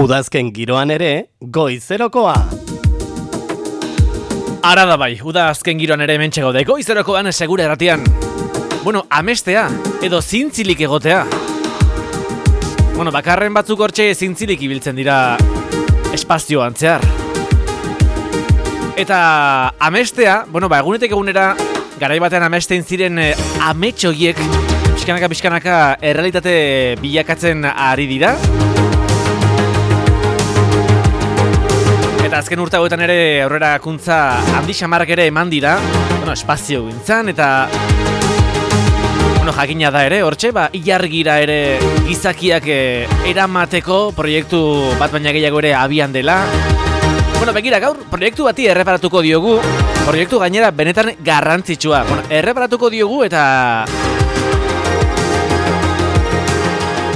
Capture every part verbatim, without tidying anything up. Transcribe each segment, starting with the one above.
Udazken giroan ere, goizerokoa. Ara da bai, udazken giroan ere hementxe gaude, goizerokoan segure erratian. Bueno, amestea, edo zintzilik egotea. Bueno, bakarren batzuk hortxe zintzilik ibiltzen dira espazioan zehar. Eta amestea, bueno, ba, egunetek egunera, garai batean amesten ziren eh, ametxoiek, pixkanaka pixkanaka errealitate bilakatzen ari dira. Eta azken urte hauetan ere aurrerakuntza handi xamarrak ere eman dira, bueno, espazio gintzan eta bueno, jakina da ere, hortxe, ba, ilargira ere gizakiak eh, eramateko proiektu bat baina gehiago ere abian dela. Bueno, begira, gaur proiektu bati erreparatuko diogu, proiektu gainera benetan garrantzitsua. Bueno, erreparatuko diogu eta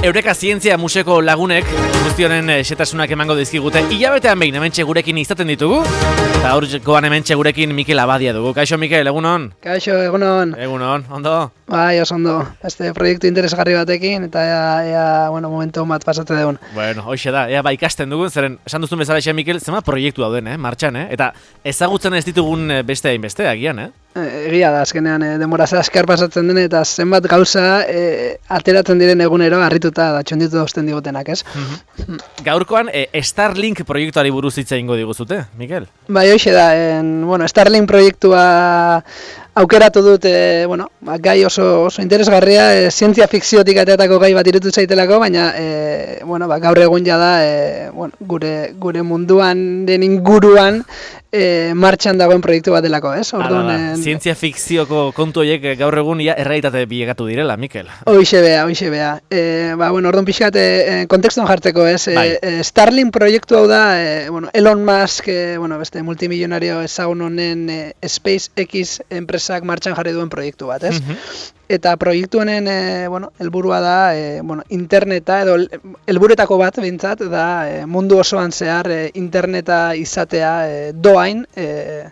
Eureka Zientzia Museoko lagunek guztionen xetasunak emango dizkigute. Ilabetean behin hementxe gurekin izaten ditugu. Eta aurrekoan hementxe gurekin Mikel Abadia dugu. Kaixo, Mikel, egunon? Kaixo, egunon. Egunon, ondo? Bai, oso ondo. Este proiektu interesgarri batekin eta ea, ea bueno, momentu bat pasatu dugun. Bueno, hoxe da, ea ba ikasten dugun, zeren esan duzun bezala xe, Mikel, zema proiektu dauden, eh, martxan, eh? Eta ezagutzen ez ditugun beste hainbeste, agian, eh? Egia da, azkenean, e, denbora askar pasatzen den eta zenbat gauza e, ateratzen diren egunero harrituta da txonditu dauzten digotenak, ez? Mm-hmm. Gaurkoan, e, Starlink proiektuari buruz hitz egingo diguzute, Mikel? Bai, hoxe da, en, bueno, Starlink proiektua aukeratu dut, e, bueno, gai oso, oso interesgarria, e, zientzia fikziotik ateatako gai bat irutu zaitelako, baina, e, bueno, ba, gaur egun jada, e, bueno, gure, gure munduan den inguruan, E, martxan dagoen proiektu bat delako, ez? Orduan, en... zientzia fikzioko kontu horiek gaur egun ia errealitate bilakatu direla, Mikel. Hoixe bea, hoixe bea. E, ba, bueno, orduan pixkat, e, kontekston jartzeko, ez? E, e, Starlink proiektu hau da, e, bueno, Elon Musk, e, bueno, beste multimillonario ezagun honen e, SpaceX enpresak martxan jarri duen proiektu bat, ez? Mm-hmm. Eta proiektu honen, e, bueno, helburua da, e, bueno, interneta, edo helburetako bat, bintzat, da e, mundu osoan zehar e, interneta izatea e, doain, e,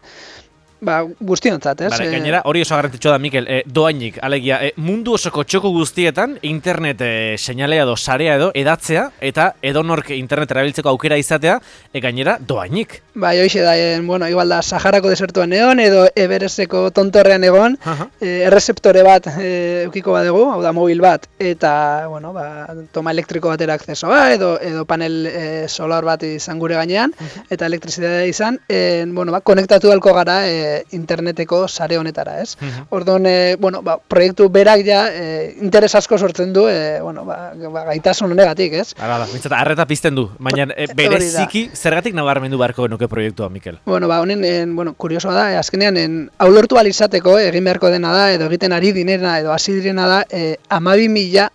ba, guztiontzat, ez? Bare, gainera, hori oso garrantzitsua da, Mikel, e, doainik, alegia, e, mundu osoko txoko guztietan, internet e, seinalea edo sarea edo edatzea, eta edonork internet erabiltzeko aukera izatea, e, gainera, doainik. Bai, hoxe da, en, bueno, igual da, Saharako desertuan egon, edo Everesteko tontorrean egon, uh-huh. e, errezeptore bat e, eukiko badegu, hau da, mobil bat, eta, bueno, ba, toma elektriko batera akzesoa, edo, edo panel e, solar bat izan gure gainean, uh-huh. eta elektrizitatea izan, en, bueno, ba, konektatu halko gara, e, interneteko sare honetara, ez? Uh-huh. Orduan, e, bueno, ba, proiektu berak ja e, interes asko sortzen du, e, bueno, ba, ba, gaitasun honegatik, ez? Hala da, bintzat, arreta pizten du, baina e, bereziki zergatik nabarmendu beharko genuke proiektua, Mikel? Bueno, ba, honen, en, bueno, kuriosoa da, e, azkenean, en, hau lortu alizateko, egin beharko dena da, edo egiten ari dinena, edo hasi direna da, e, amabi mila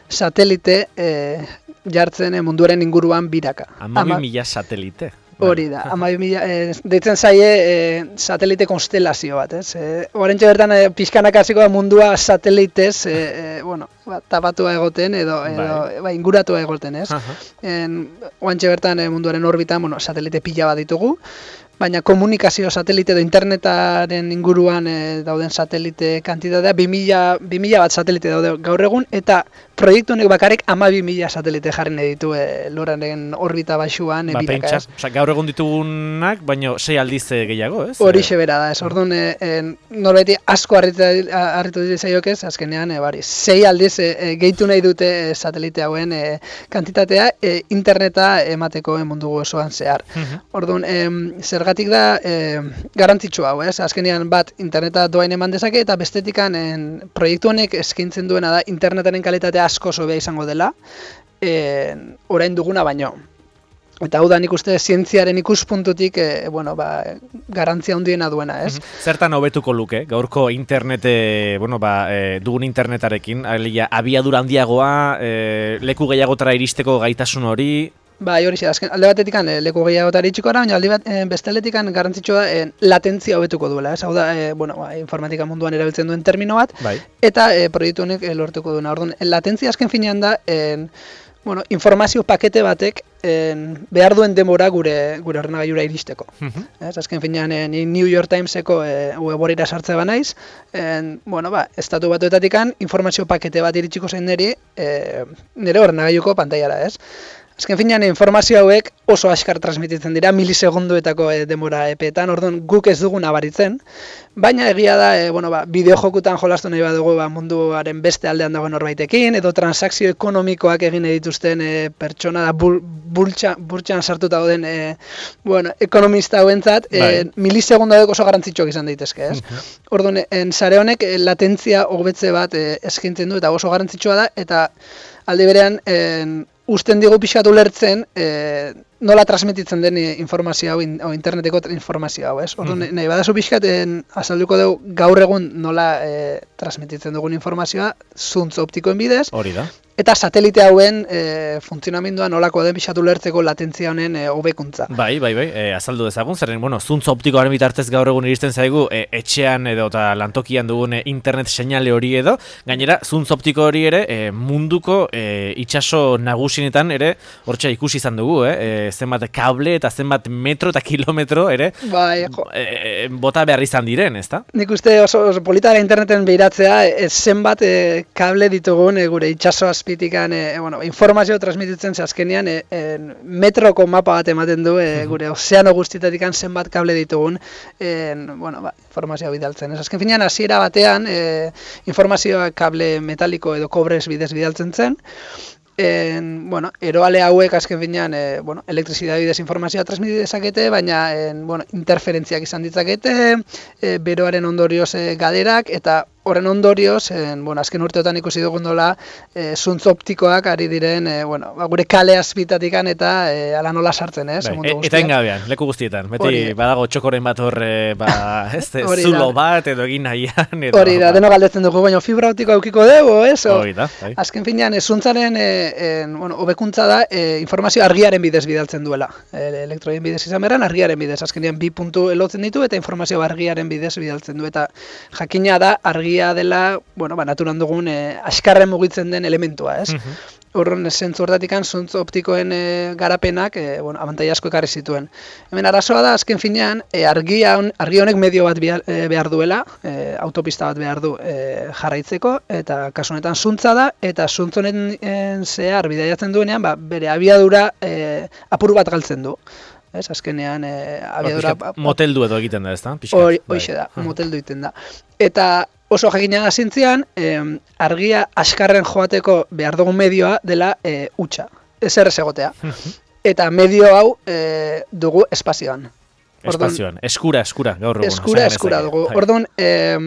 satelite e, jartzen e, munduaren inguruan biraka. Amabi mila satelite? Hori da, amabi mila, e, deitzen zaie e, satelite konstelazio bat, ez? E, Horentxe bertan e, pixkanak hasiko da mundua satelitez, e, e, bueno, ba, tapatua egoten edo, edo ba, inguratua egoten, ez? Horentxe bertan e, munduaren orbitan, bueno, satelite pila bat ditugu, baina komunikazio satelite edo internetaren inguruan e, dauden satelite kantitatea, bi mila bat satelite daude gaur egun, eta proiektu honek bakarrik amabi mila satelite jarri nahi ditu e, lurraren orbita baxuan e, ba, biraka, ez? Osa, gaur egun ditugunak, baina sei aldiz gehiago, ez? Horixe bera da, ez? Orduan, e, e, norbeti asko harritu dira zaiokez, azkenean, e, bari, sei aldiz e, e, gehitu nahi dute e, satelite hauen e, kantitatea e, interneta emateko e, mundu osoan zehar. Uh-huh. Orduan, e, zergatik da e, garantzitsu hau, ez? Azkenean bat interneta doain eman dezake eta bestetikan en, proiektu honek eskaintzen duena da internetaren kalitatea asko sobea izango dela, e, orain duguna baino. Eta hau da nik uste zientziaren ikuspuntutik e, bueno, ba, garantzia handiena duena, ez? Zertan hobetuko luke, gaurko internete, bueno, ba, e, dugun internetarekin, alia, abiadura handiagoa, e, leku gehiagotara iristeko gaitasun hori? Bai, hori azken alde batetik leku gehiagotara iritsiko gara, baina alde bat, e, beste aldetik garrantzitsua da e, latentzia hobetuko duela, ez? Hau da, e, bueno, ba, informatika munduan erabiltzen duen termino bat, bai. Eta e, proiektu honek e, lortuko duena. Orduan, latentzia azken finean da, e, bueno, informazio pakete batek en, behar duen denbora gure gure ordenagailura iristeko. Uh-huh. Ez, azken finean e, ni New York Timeseko e, web-orrira sartze banaiz, en, bueno, ba, estatu batuetatikan informazio pakete bat iritsiko zen niri, e, nire ordenagailuko pantailara, ez? Azken finean, informazio hauek oso askar transmititzen dira, milisegunduetako e, demora epeetan, orduan guk ez dugu nabaritzen, baina egia da, e, bueno, ba, bideojokutan jolastu nahi badugu ba, munduaren beste aldean dagoen norbaitekin, edo transakzio ekonomikoak egin dituzten e, pertsona da bul, bultxa, burtxan sartuta dauden e, bueno, ekonomista hauentzat, e, milisegundu hauek oso garrantzitsuak izan daitezke, ez? Uh-huh. Orduan, en sare honek e, latentzia hobetze bat e, eskaintzen du eta oso garrantzitsua da, eta aldi berean en, usten digu pixatu lertzen e, nola transmititzen den informazio hau, in, o interneteko informazio hau, ez? Orduan, mm. nahi badazu pixkaten azalduko dugu gaur egun nola e, transmititzen dugun informazioa zuntz optikoen bidez. Hori da. Eta satelite hauen e, funtzionamendua nolako den pixatu lertzeko latentzia honen e, hobekuntza. Bai, bai, bai, e, azaldu dezagun, zerren, bueno, zuntz optikoaren bitartez gaur egun iristen zaigu e, etxean edo eta lantokian dugun e, internet seinale hori edo, gainera, zuntz optiko hori ere e, munduko e, itsaso nagusienetan ere, hortxe ikusi izan dugu, eh? E, zenbat kable eta zenbat metro eta kilometro ere bai, jo. E, bota behar izan diren, ezta? Nik uste oso, oso polita da interneten behiratzea, e, zenbat e, kable ditugun e, gure itsaso azpitikan e, bueno, informazio transmititzen ze azkenean e, e, metroko mapa bat ematen du e, gure ozeano guztietatikan zenbat kable ditugun e, bueno, ba, informazioa bidaltzen. Ez azken finean hasiera batean e, informazioa kable metaliko edo kobrez bidez bidaltzen zen. En, bueno, eroale hauek azken finean e, bueno, elektrizidade bidez informazioa transmiti dezakete, baina en, bueno, interferentziak izan ditzakete, e, beroaren ondorioz e, gaderak, eta horren ondorioz, en, bueno, azken urteotan ikusi dugun dola, e, zuntz optikoak ari diren, e, bueno, ba, gure kale azpitatikan eta e, ala nola sartzen, ez? Bai, e, eta engabean, leku guztietan, beti Ori. Badago txokoren bat horre, ba, ez, zulo bat edo egin nahian. Edo, hori da, ba. Deno galdetzen dugu, baina fibra optikoa eukiko dugu, ez? Hori da, bai. Azken finean, e, zuntzaren, e, en, bueno, hobekuntza da, e, informazio argiaren bidez bidaltzen duela. E, elektroien bidez izan beran, argiaren bidez. Azkenean bi puntu elotzen ditu eta informazio argiaren bidez bidaltzen du. Eta jakina da, argia dela, bueno, ba, naturan dugun e, askarren mugitzen den elementua, ez? Uh-huh. Horren zentzu hortatikan zuntz optikoen e, garapenak e, bueno, abantaila asko ekarri zituen. Hemen arazoa da, azken finean, e, argia on, argi honek medio bat behar, e, behar duela, e, autopista bat behar du e, jarraitzeko, eta kasu honetan zuntza da, eta zuntz honen zehar bidaiatzen duenean, ba, bere abiadura e, apur bat galtzen du. Ez, azkenean e, abiadura... Ba, moteldu edo egiten da, ez da? Hoxe da, uh-huh. moteldu egiten da. Eta oso jakina da zintzian, eh, argia askarren joateko behar dugun medioa dela eh, utxa, ez errez egotea. Eta medio hau eh, dugu espazioan. Espazioan, eskura, eskura, gaur egun. Eskura, eskura dugu. Orduan, eh,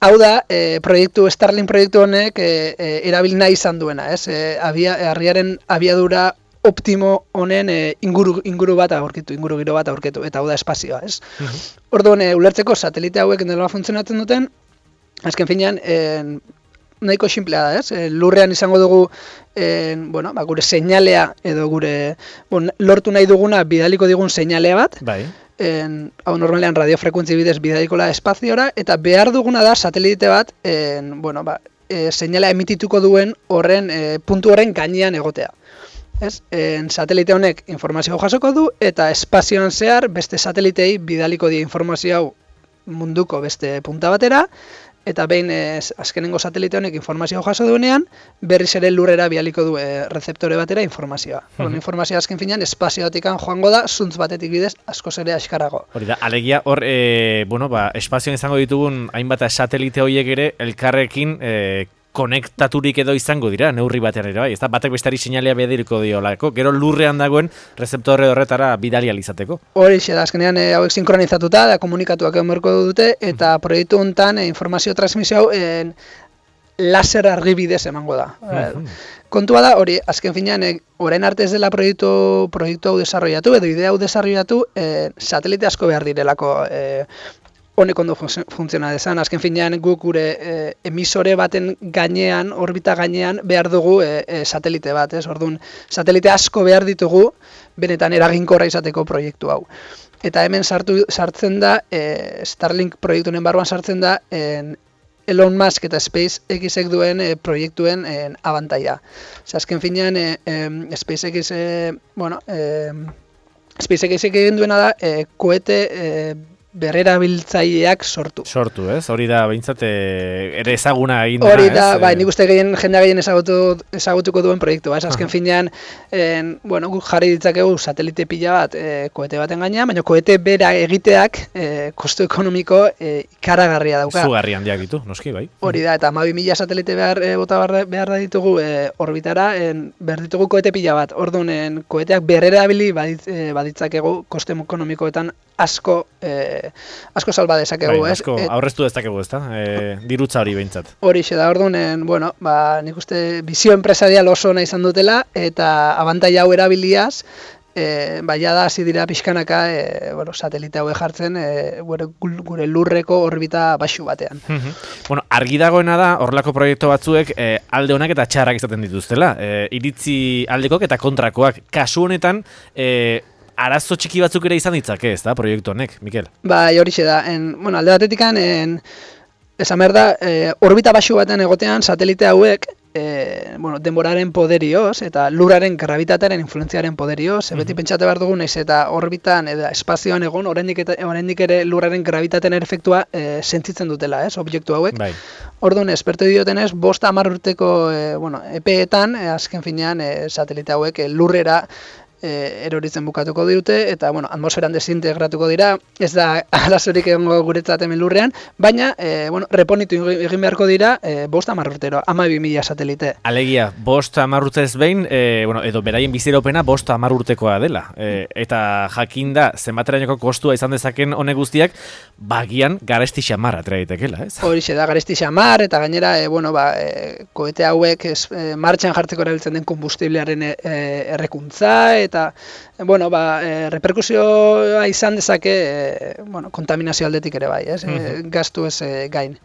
hau da, eh, proiektu, Starlink proiektu honek eh, eh, erabil nahi izan duena, ez? Eh, abia, argiaren abiadura optimo honen e, inguru, inguru bat aurkitu, inguru giro bat aurkitu, eta hau da espazioa, ez? Uh-huh. Orduan, e, ulertzeko satelite hauek nola funtzionatzen duten, azken finean, e, nahiko simplea da, ez? E, lurrean izango dugu, e, bueno, ba, gure seinalea, edo gure, bon, lortu nahi duguna, bidaliko digun seinalea bat, bai. En, hau normalean radiofrekuentzi bidez bidalikola espaziora, eta behar duguna da satelite bat, en, bueno, ba, e, seinalea emitituko duen horren, e, puntu horren gainean egotea. Ez? En, satelite honek informazio jasoko du eta espazioan zehar beste satelitei bidaliko die informazio hau munduko beste punta batera eta behin ez, azkenengo satelite honek informazio jaso duenean berriz ere lurrera bidaliko du e, rezeptore batera informazioa. Mm-hmm. Informazioa azken finean espazioatikan joango da zuntz batetik bidez askoz ere askarago. Hori da, alegia hor e, bueno, ba, espazioan izango ditugun hainbat satelite horiek ere elkarrekin e, konektaturik edo izango dira, neurri batean ere, bai, ez da, batek bestari seinalea bediriko diolako, gero lurrean dagoen rezeptorre horretara bidali alizateko. Hori xe da, azkenean e, hauek sinkronizatuta, da komunikatuak egon berko dute, eta mm. proiektu honetan e, informazio transmisio hau e, laser argibidez emango da. Mm-hmm. Kontua da, hori, azken finean, e, orain arte ez dela proiektu, proiektu hau desarrollatu, edo idea hau desarrollatu, e, satelite asko behar direlako e, honek ondo funtziona dezan, azken finean guk gure e, emisore baten gainean, orbita gainean, behar dugu e, e, satelite bat, ez? Orduan, satelite asko behar ditugu, benetan eraginkorra izateko proiektu hau. Eta hemen sartu, sartzen da, e, Starlink proiektu honen barruan sartzen da, en, Elon Musk eta SpaceXek duen e, proiektuen e, abantaila. Azken finean, e, e, SpaceX, e, bueno, e, SpaceXek egin duena da, e, koete, e, berrerabiltzaileak sortu. Sortu, ez? Hori da, behintzat, ere ezaguna egin dena, Hori da, ez? bai, nik uste gehien, jendea gehien ezagutu, ezagutuko duen proiektua, ez? Azken finean, en, bueno, guk jarri ditzakegu satelite pila bat e, koete baten gainean, baina koete bera egiteak e, kostu ekonomiko e, ikaragarria dauka. Zugarri handiak ditu, noski, bai. Hori da, eta hamabi mila satelite behar e, bota behar, behar da ditugu e, orbitara, en, behar ditugu koete pila bat. Orduan, koeteak berrerabili badit, e, baditzakegu kostu ekonomikoetan asko e, asko salba dezakegu, bai, ez? Asko aurreztu dezakegu, ezta? E, dirutza hori behintzat. Hori xe da, orduan, bueno, ba, nik uste bizio empresarial oso ona izan dutela, eta abantaila hau erabiliaz, e, ba, jada hasi dira pixkanaka, e, bueno, satelite hauek jartzen, e, gure, gure lurreko orbita baxu batean. Bueno, argi dagoena da, horrelako proiektu batzuek e, alde honak eta txarrak izaten dituztela. E, iritzi aldekok eta kontrakoak. Kasu honetan, e, arazo txiki batzuk ere izan ditzake, ez da, proiektu honek, Mikel? Bai, horixe da. En, bueno, alde batetikan, en, esan behar da, e, orbita baxu batean egotean satelite hauek, e, bueno, denboraren poderioz eta lurraren gravitatearen influentziaren poderioz, mm-hmm. beti pentsate behar dugu naiz eta orbitan eta espazioan egon, oraindik eta oraindik ere lurraren gravitatearen efektua e, sentitzen dutela, ez, objektu hauek. Bai. Orduan, esperto diotenez, bost hamar urteko e, bueno, epeetan, e, azken finean, e, satelite hauek e, lurrera E, eroritzen bukatuko dute, eta bueno, atmosferan desintegratuko dira, ez da arazorik egongo guretzat hemen lurrean, baina e, bueno, reponitu egin beharko dira e, bost hamar urtero, hamabi mila satelite. Alegia, bost hamar urtez behin, e, bueno, edo beraien biziraupena bost hamar urtekoa dela, e, eta jakinda zenbaterainoko kostua izan dezaken honek guztiak, bagian garesti xamarra atera daitekela, ez? Horixe da, garesti xamar, eta gainera, e, bueno, ba, e, koete hauek ez, e, martxan jartzeko erabiltzen den kombustiblearen e, errekuntza, eta, bueno, ba, e, reperkusioa izan dezake, e, bueno, kontaminazio aldetik ere bai, ez? E, gastu ez e, gain.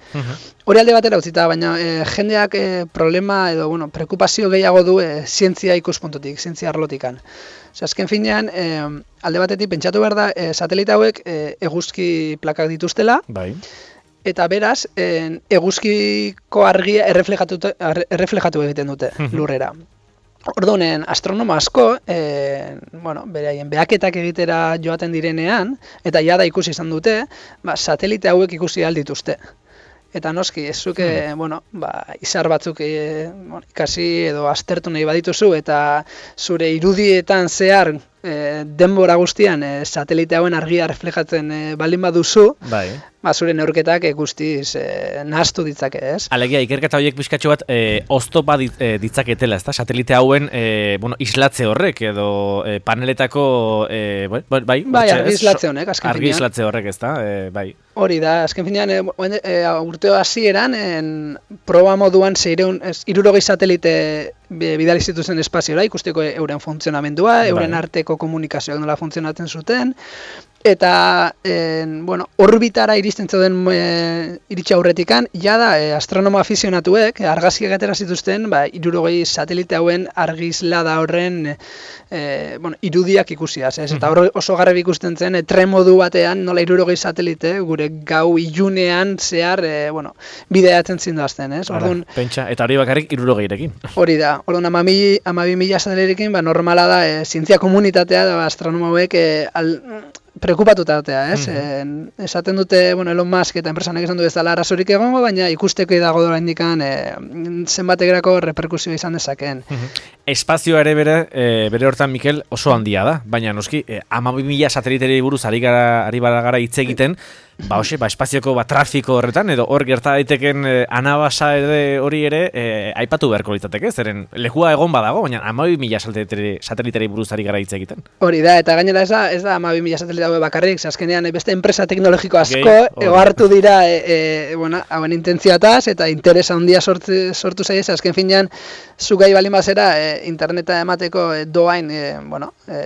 Hori alde batera utzita, baina e, jendeak e, problema edo, bueno, preokupazio gehiago du e, zientzia ikuspuntutik, zientzia arlotikan. Ose, azken finean, e, alde batetik pentsatu behar da, e, satelite hauek e, eguzki plakak dituztela, bai. Eta beraz, e, eguzkiko argia erreflejatu, erreflejatu egiten dute lurrera. Orduan, astronomo asko, e, bueno, beraien behaketak egitera joaten direnean, eta jada ikusi izan dute, ba, satelite hauek ikusi aldituzte. Eta noski, ez zuke, hmm. bueno, ba, izar batzuk e, bueno, ikasi edo aztertu nahi badituzu, eta zure irudietan zehar e, denbora guztian e, satelite hauen argia reflejatzen e, baldin baduzu, bai. Ba, zure neurketak e, guztiz e, nahaztu ditzake, ez? Alegia, ikerketa horiek pixkatxo bat e, oztopa dit, e, ditzaketela, ezta? Satelite hauen e, bueno, islatze horrek edo e, paneletako e, bai, bai, bai argi islatze honek, azken finean. Argi islatze horrek, ezta? E, bai. Hori da, azken finean, e, e, urteo hasieran en proba moduan zeireun, hirurogei satelite bidali zituzen espaziora, ikusteko euren funtzionamendua, euren bai. Arteko komunikazioak nola funtzionatzen zuten, eta, en, bueno, orbitara iristen zeuden e, iritsi aurretikan, jada e, astronoma afizionatuek, argazkiak atera zituzten, ba, hirurogei satelite hauen argizlada horren e, bueno, irudiak ikusiaz, ez? Eta hor oso garbi ikusten zen, e, tremodu batean, nola hirurogei satelite, gure gau ilunean zehar, e, bueno, bideatzen zinduazten, ez? Orduan, pentsa, eta hori bakarrik hirurogeirekin. Hori da, orduan hamabi mila satelirekin, ba, normala da, e, zientzia komunitatea, da, astronoma hauek, e, al, preokupatutatea, ez? Mm-hmm. E, esaten dute, bueno, Elon Musk eta enpresanek esan du ez dela arazorik egongo, baina ikusteko dago dora indikan e, zenbategerako reperkusioa izan dezakeen. Mm-hmm. Espazioa ere bere, e, bere hortan, Mikel, oso handia da, baina noski, e, hamabi mila sateliteri buruz ari gara, ari gara hitz egiten, ba, hoxe, ba, espazioko ba, trafiko horretan, edo hor gerta daiteken e, anabasa ere hori ere e, aipatu beharko litzateke, zeren lekua egon badago, baina hamabi mila sateliteri buruz ari gara hitz egiten. Hori da, eta gainera ez da, ez da hamabi mila satelite hau bakarrik, azkenean beste enpresa teknologiko asko egoartu dira e, e, bueno, hauen intentzioataz, eta interesa handia sortu, sortu zaiz, azken finean, zugai balin bazera, e, interneta emateko e, doain, e, bueno, e,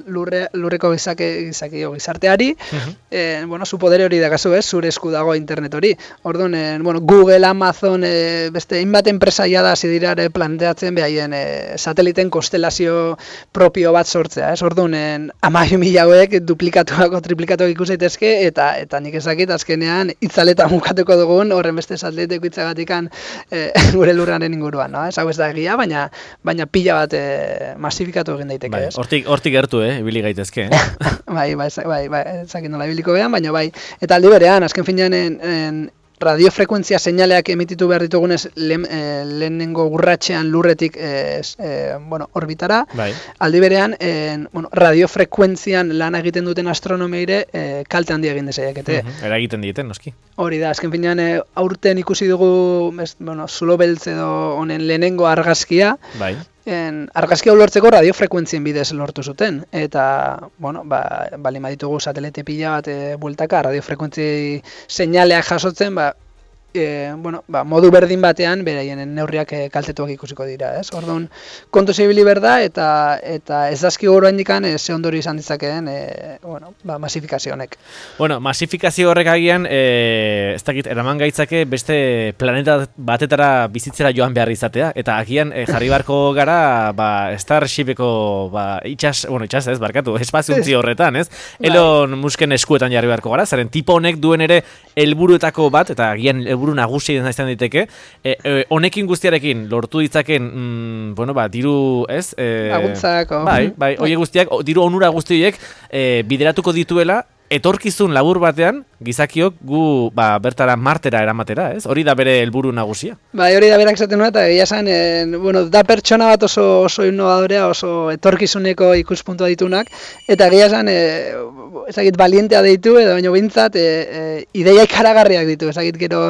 lurre, lurreko gizake, gizaki, gizarteari, uh-huh. e, bueno, zu podere hori dakazu, ez, zure esku dago internet hori. Orduan, e, bueno, Google, Amazon, e, beste inbat enpresa jada hasi dira ere planteatzen behaien e, sateliten konstelazio propio bat sortzea, ez? Orduan, hamabi mila hauek duplikatuak o triplikatuak ikus daitezke, eta eta nik ezakit azkenean itzaleta mukatuko dugun horren beste sateliteko itzagatikan e, gure lurraren inguruan, no? Ez hau ez da egia, baina baina pila bat e, masifikatu egin daiteke, bai, ez? Hortik, hortik gertu, eh, ibili gaitezke, eh? bai, bai, bai, bai, ezakin nola ibiliko behan, baina bai, eta aldi berean, azken finean en, en radiofrekuentzia seinaleak emititu behar ditugunez lehen, e, lehenengo urratxean lurretik e, e, bueno, orbitara, Bai. aldi berean en, bueno, radiofrekuentzian lan egiten duten astronomeire e, kalte handia egin dezaiekete. Mhm, eragiten dieten, noski. Hori da, azken finean e, aurten ikusi dugu ez, bueno, zulo beltz edo honen lehenengo argazkia, Bai. En, argazkia ulertzeko radiofrekuentzien bidez lortu zuten, eta, bueno, ba, bali maditugu satelite pila bat e, bueltaka, radiofrekuentzi seinaleak jasotzen, ba, e, bueno, ba, modu berdin batean, beraien neurriak e, kaltetuak ikusiko dira, ez? Orduan, kontu zibili berda, eta eta ez dazki goro handikan, e, ze ondori izan ditzakeen, e, bueno, ba, masifikazio honek. Bueno, masifikazio horrek agian, e, ez dakit, eraman gaitzake beste planeta batetara bizitzera joan behar izatea, eta agian e, jarri barko gara, ba, Starshipeko, ba, itxas, bueno, itxas ez, barkatu, espaziontzi horretan, ez? Elon Musken eskuetan jarri beharko gara, zaren tipo honek duen ere helburuetako bat, eta agian helburu nagusia izan daiteke, e, e, honekin guztiarekin lortu ditzaken, mm, bueno, ba, diru, ez? E, Laguntzako. Bai, bai, horiek guztiak, o, diru onura guztiek e, bideratuko dituela, etorkizun labur batean, gizakiok gu ba, bertara martera eramatera, ez? Hori da bere helburu nagusia. Bai, hori da berak esaten nuen, eta egia esan, e, bueno, da pertsona bat oso, oso innovadorea, oso etorkizuneko ikuspuntua ditunak, eta egia esan, e, ezagit balientea deitu, edo baino bintzat, e, e, ideia ikaragarriak ditu, ezagit gero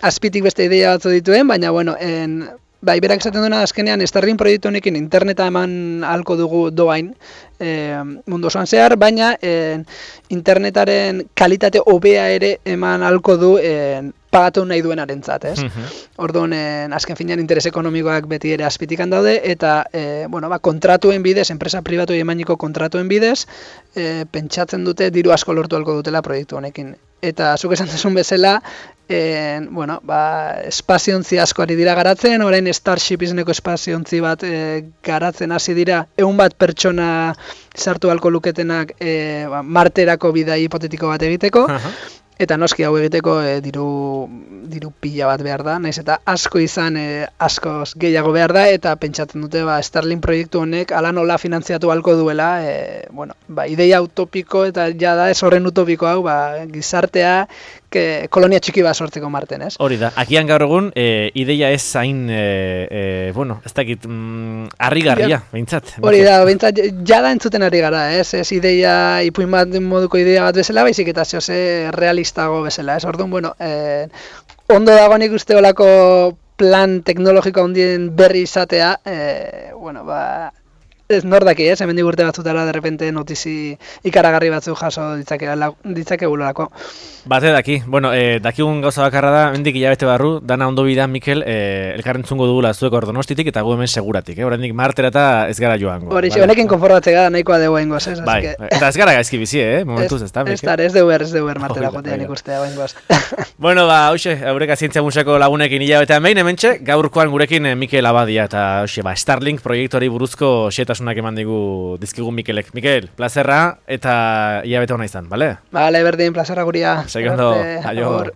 azpitik beste ideia batzu dituen, baina, bueno, en, bai, berak esaten duena azkenean Starlink proiektu honekin interneta eman ahalko dugu doain e, mundu osoan zehar, baina e, internetaren kalitate hobea ere eman ahalko du e, pagatu nahi duenarentzat, ez? Mhm. Orduan, e, azken finean interes ekonomikoak beti ere azpitikan daude, eta e, bueno, ba, kontratuen bidez, enpresa pribatu emaniko kontratuen bidez, e, pentsatzen dute diru asko lortu ahalko dutela proiektu honekin. Eta zuk esan duzun bezala, En, bueno, ba, espaziontzi asko ari dira garatzen, orain Starship izeneko espaziontzi bat e, garatzen hasi dira, ehun bat pertsona sartu halko luketenak e, ba, marterako bidai hipotetiko bat egiteko, Aha. eta noski hau egiteko e, diru, diru pila bat behar da, naiz eta asko izan e, askoz gehiago behar da, eta pentsatzen dute ba, Starlink proiektu honek ala nola finantziatu halko duela, e, bueno, ba, ideia utopiko eta jada ez horren utopiko hau, ba, gizartea, que kolonia txiki bat sortzeko Marten, ez? Hori da, akian gaur egun, e, ideia ez zain, e, e, bueno, ez dakit, mm, harrigarria, behintzat. Hori da, behintzat, jada entzuten ari gara, ez? Ez ideia, ipuin bat moduko ideia bat bezala, baizik eta zehose realistago bezala, ez? Orduan, bueno, eh, ondo dago nik uste olako plan teknologiko handien berri izatea, eh, bueno, ba, ez nor daki, ez? Hemendik urte batzutara, de repente, notizi ikaragarri batzu jaso ditzakegulako. Bate daki, bueno, e, dakigun gauza bakarra da, mendik hilabete barru, dana ondo bidan, Mikel, e, elkarrentzungo dugula zuek Ordonostitik eta gu hemen seguratik, eh? Oraindik martera eta ez gara joango. Hori, vale? Honekin konfortatzea gara nahikoa dugu engoz, ez? Bai, que... eta ez gara gaizki bizi, eh? Momentuz ez da, Mikel? Ez da, ez deuer, ez deuer martera Oida, jotean oida. ikustea engoz. Bueno, ba, hoxe, aurreka zientzia musako lagunekin hilabetean behin, hementxe, gaurkoan gurekin eh, Mikel Abadia, eta hoxe, ba, Starlink proiektuari buruzko xetasunak eman digu dizkigun Mikelek. Mikel, plazerra eta hilabete hona izan, bale? Bale, berdin, plazerra guria. Segi ondo, Arte, aio. agur.